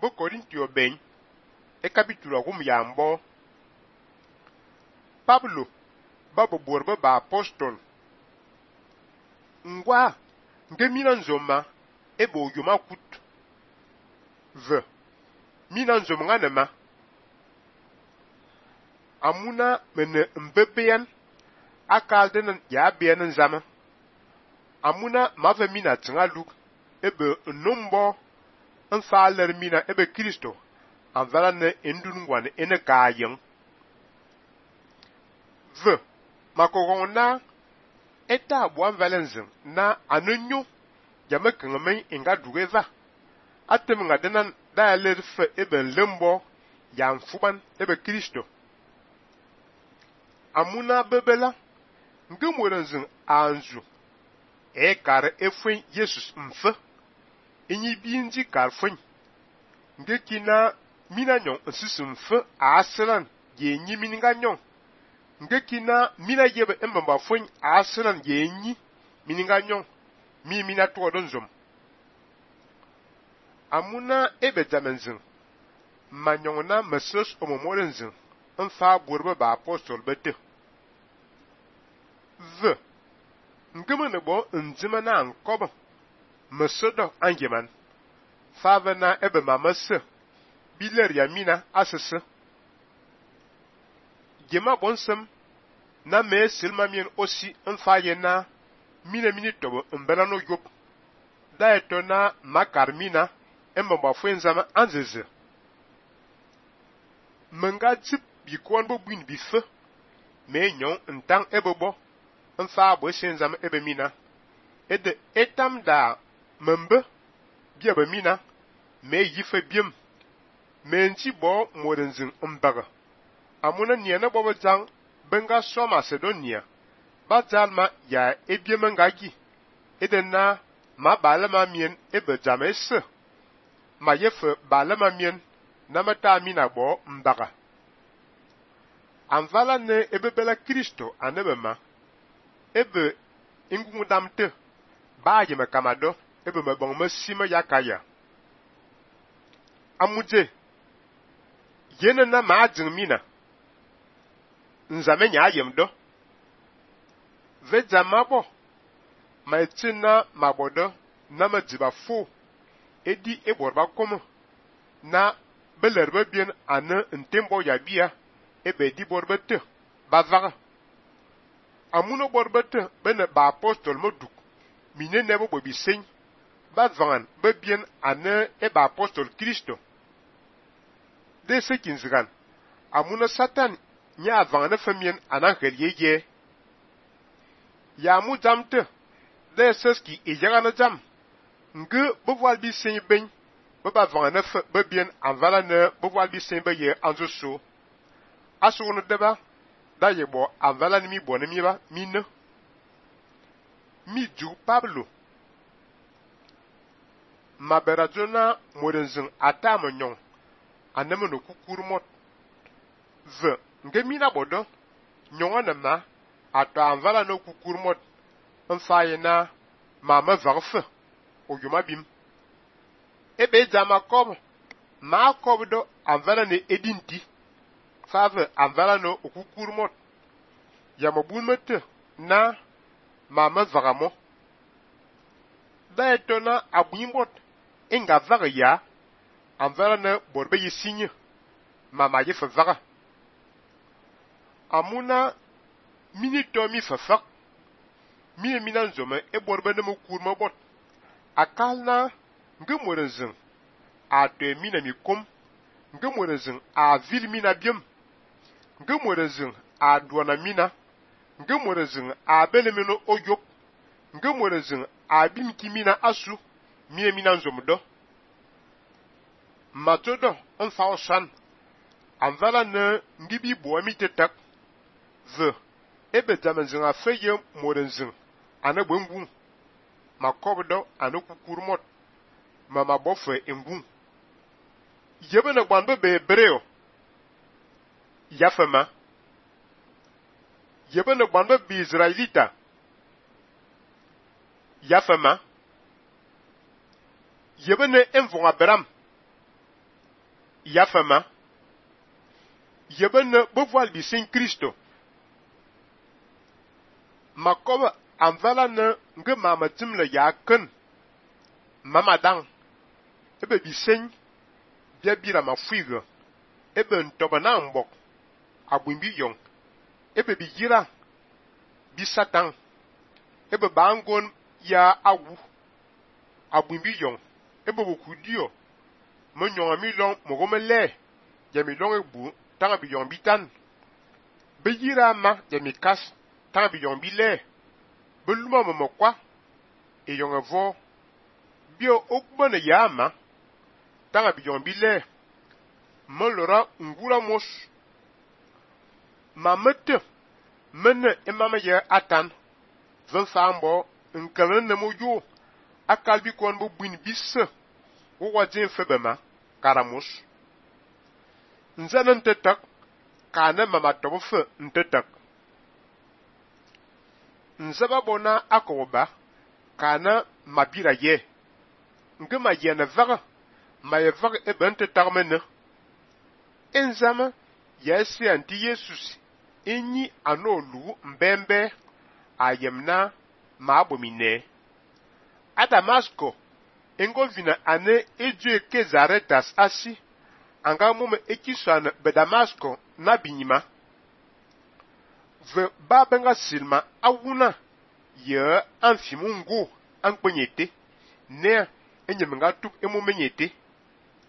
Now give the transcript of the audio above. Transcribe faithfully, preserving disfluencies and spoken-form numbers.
bo Korintio ben e capítulo gum yambo Pablo ba bo borbo ba apostol ngwa nge mina nzoma e bo yoma kut ve mina nzoma nganema amuna mene mbebeyan akalden ya biyan nzama amuna mave mina tsinga luk ebe numbo nfaler mina ebe Kristo anvala ne endun ngwane ene kayen ve makogona eta buan valenzen na anunyu jame kengmen inga dugeva atem nga denan da ler fe ebe lembo ya mfuban ebe Kristo amuna bebela ngemorenzen anzu e kar efwen Jesus mfe inyi binji karfwen nge kina mina nyon nsisi mfe aslan ye nyi mininga nyon nge kina mina yebe embamba fwen aslan ye nyi mininga nyon mi mina to donzom amuna ebe jamenzin manyongna mesos omomorenzin nfa borbe ba apostol bete ve ngeme bo nzima na nkobo mesodo angeman fava na ebe mamase biler ya mina asese gema bonsem na me silma mien osi nfa yena mina mini tobo mbela no yop da eto na makarmina emba fwenzama anzeze menga zip bikon bo buin bife me nyon ntang ebebo nfa bo senzama ebe mina ede etam da membe bia ba mina me yife biem me nti bo modenzin mbaga amuna niana bobo jang benga so Macedonia ba jalma ya ebiem ngagi ede na ma balama mien ebe jamese ma yefe balama mien na mata mina bo mbaga anvala ne ebe bela Kristo anebe ma ebe ingungudamte ba yeme kamado ebe mabong masima yakaya amuje yene na maajin mina nzame nya ayem do ve jamabo ma etina mabodo na majiba fu edi eborba komo na belerbe bien ane ntembo ya bia ebe di borbete bavaga amuno borbete bene ba apostol moduk mine nebo bobi sen bavangan be bien ane e ba apostol Kristo de sekinzgan amuna satan nya vangane famien anan kheliye ya mu jamte de seski ejagana jam nge bovwal bi sen ben be ba vangane fa be bien anvala ne bovwal bi sen be ye anzoso asunu deba da yebo anvala ni mi bone mi ba mine mi ju Pablo maberazona morenzin atama nyon aneme no kukurmot ve nge mina bodo nyonga na ato anvala no kukurmot mfayena mama varfe oyuma bim ebe jama kob ma kobdo anvala ne edinti fave anvala no kukurmot yamabulmete na mama vagamo da etona abuimbot inga vaga ya anvala ne borbe yisinye mama yefe vaga amuna minito mi fafak mi mina nzome e borbe ne mukurma bot akalna ngemorenzin a de mina mi kom ngemorenzin a vil mina biem ngemorenzin a duana mina ngemorenzin a belemino oyop ngemorenzin a bimki mina asu mi mina nzomdo matodo onfa osan anvala ne ngibi bo mi tetak ve ebe jamenzin a feye morenzin ane bwengu makobdo ane kukurmot mama bofe engu yebe ne gbanbe be breo yafema yebe ne gbanbe bi Israelita yafema yebe ne envon Abraham yafama yebene bevoil bisin Kristo makoba amvala ne nge mama timle ya ken mama dang ebe bisin bia bira mafuiga ebe ntoba na mbok abwimbi yong ebe bigira bisatan ebe bangon ya awu abwimbi yong ebe bokudio mo nyonga mi long mo gomele ya mi long egbu tanga bi yong bitan be yira ma ya mi kas tanga bi yong bile be luma mo mokwa e yong avo bio okbone ya ma tanga bi yong bile mo lora ngura mos ma mete mene emama ya atan zan sambo nkalan ne mo yo akalbi kon bo buin bisse wo wajin febema karamus nzanan tetak kana mama tobofe ntetak nzaba bona akoba kana mabira ye ngema yene vaga ma ye vaga e ben tetak mene enzama yesi anti yesus enyi anolu mbembe ayemna ma abomine Adamasko engolvina ane eju kezaretas asi anga mume ekisana bedamasko na binyima ve babenga silma awuna ye anfimungu ankpenyete ne enyemenga tup emumenyete